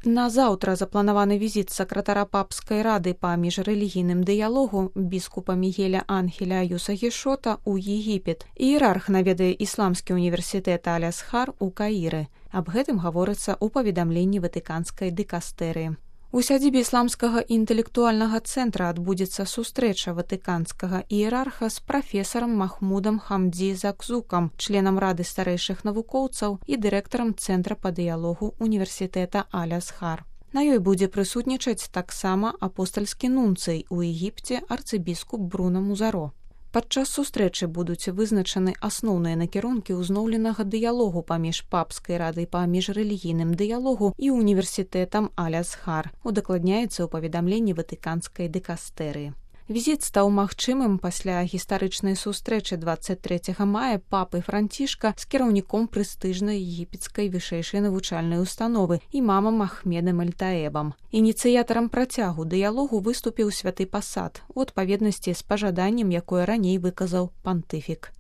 На заўтра запланаваны візіт сакратара папскай рады па міжрэлігійным дыялогу біскупа Мігеля Ангеля Аюса Гішота ў Егіпет. Іерарх наведае ісламскі універсітэт Аль-Азхар у Каіры. Аб гэтым гаворыцца ў паведамленні ватыканскай дыкастэрыі. У сядзібе ісламскага інтэлектуальнага цэнтра адбудзецца сустрэча ватыканскага іерарха з прафесарам Махмудам Хамдзі Закзукам, членам рады старэйшых навукоўцаў і дырэктарам цэнтра па дыялогу універсітэта Аль-Азхар. На ёй будзе прысутнічаць таксама апостальскі нунцый у Егіпце арцыбіскуп Бруно Музаро. Падчас сустрэчы будуць вызначаны асноўныя накірункі ўзноўленага дыялогу паміж папскай радай па міжрэлігійным дыялогу і універсітэтам Аль-Азхар, удакладняецца ў паведамленні ватыканскай дыкастэрыі. Візіт стаў магчымым пасля гістарычнай сустрэчы 23 мая папы Францішка з кіраўніком прэстыжнай егіпецкай вышэйшай навучальнай установы імамам Ахмедам Аль-Таэбам. Ініцыятарам працягу дыялогу выступіў святы пасад у адпаведнасці з пажаданнем, якое раней выказаў пантыфік.